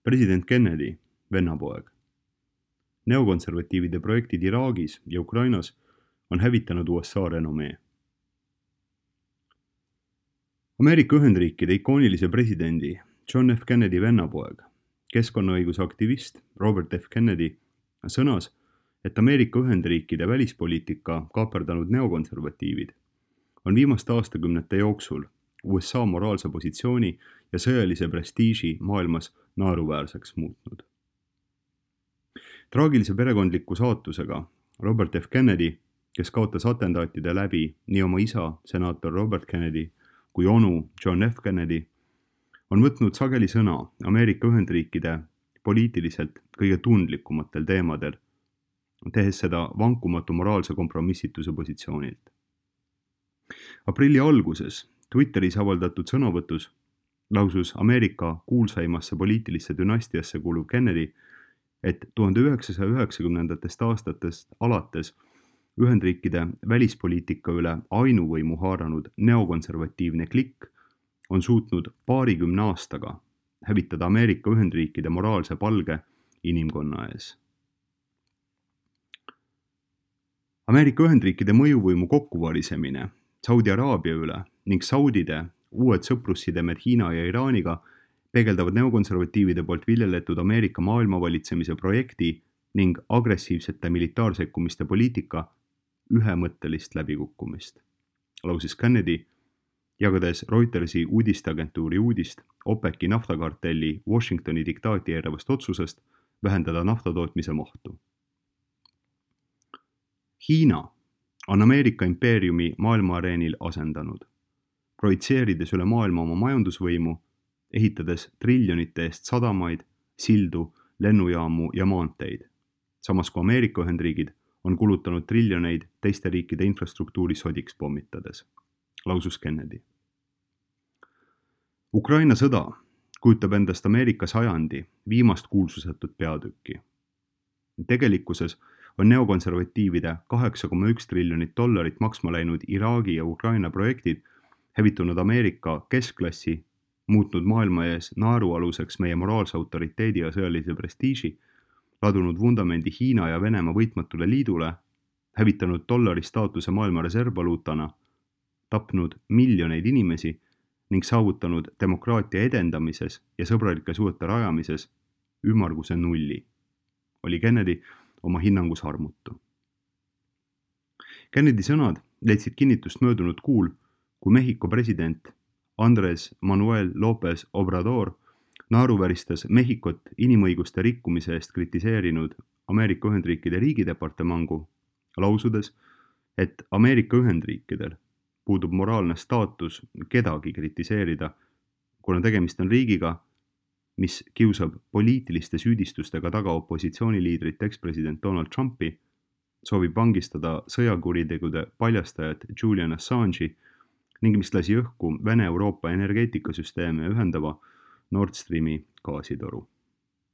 President Kennedy, vennapoeg. Neokonservatiivide projektid Iraagis ja Ukrainas on hävitanud USA renomee. Ameerika Ühendriikide ikoonilise presidendi John F. Kennedy vennapoeg, keskkonnaõiguse aktivist Robert F. Kennedy sõnas, et Ameerika Ühendriikide välispoliitika kaaperdanud neokonservatiivid on viimaste aastakümnete jooksul USA moraalse positsiooni ja sõjalise prestiiži maailmas naeruväärseks muutnud. Traagilise perekondliku saatusega Robert F. Kennedy, kes kaotas atentaatide läbi nii oma isa, senaator Robert Kennedy, kui onu John F. Kennedy, on võtnud sageli sõna Ameerika Ühendriikide poliitiliselt kõige tundlikumatel teemadel, tehes seda vankumatu moraalse kompromissituse positsioonilt. Aprilli alguses Twitteris avaldatud sõnavõtus lausus Ameerika kuulsaimasse poliitilisse dünastiasse kuuluv Kennedy, et 1990. aastatest alates Ühendriikide välispoliitika üle ainuvõimu haaranud neokonservatiivne klikk on suutnud paarikümne aastaga hävitada Ameerika Ühendriikide moraalse palge inimkonna ees. Ameerika Ühendriikide mõjuvõimu kokkuvarisemine Saudi Araabia üle ning saudide uued sõprussidemed Hiina ja Iraaniga peegeldavad neokonservatiivide poolt viljeletud Ameerika maailmavalitsemise projekti ning agressiivsete militaarsekkumiste poliitika ühemõttelist läbikukkumist, lausis Kennedy, jagades Reutersi uudisteagentuuri uudist OPEC-i naftakartelli Washingtoni diktaati eiravast otsusest vähendada naftatootmise mahtu. Hiina on Ameerika impeeriumi maailmaareenil asendanud, projitseerides üle maailma oma majandusvõimu, ehitades triljonite eest sadamaid, sildu, lennujaamu ja maanteid, samas kui Ameerika Ühendriigid on kulutanud triljoneid teiste riikide infrastruktuuri sodiks pommitades, lausus Kennedy. Ukraina sõda kujutab endast Ameerika sajandi viimast kuulsusetut peatükki. Tegelikkuses on neokonservatiivide $8,1 triljonit maksma läinud Iraagi ja Ukraina projektid hävitunud Ameerika keskklassi, muutnud maailma ees naerualuseks meie moraalse autoriteedi ja sõjalise prestiiži, ladunud vundamendi Hiina ja Venemaa võitmatule liidule, hävitanud dollari staatuse maailma reservvaluutana, tapnud miljoneid inimesi ning saavutanud demokraatia edendamises ja sõbralike suhete rajamises ümmarguse nulli, oli Kennedy oma hinnangus armutu. Kennedy sõnad leidsid kinnitust möödunud kuul, kui Mehhiko president Andres Manuel López Obrador naeruväristas Mehhikot inimõiguste rikkumise eest kritiseerinud Ameerika Ühendriikide riigidepartemangu, lausudes, et Ameerika Ühendriikidel puudub moraalne staatus kedagi kritiseerida, kuna tegemist on riigiga, mis kiusab poliitiliste süüdistustega taga opositsiooniliidrit ekspresident Donald Trumpi, soovib vangistada sõjakuritegude paljastajat Julian Assange'i ning mis lasi õhku Vene-Euroopa energeetikasüsteeme ühendava Nord Streami gaasitoru.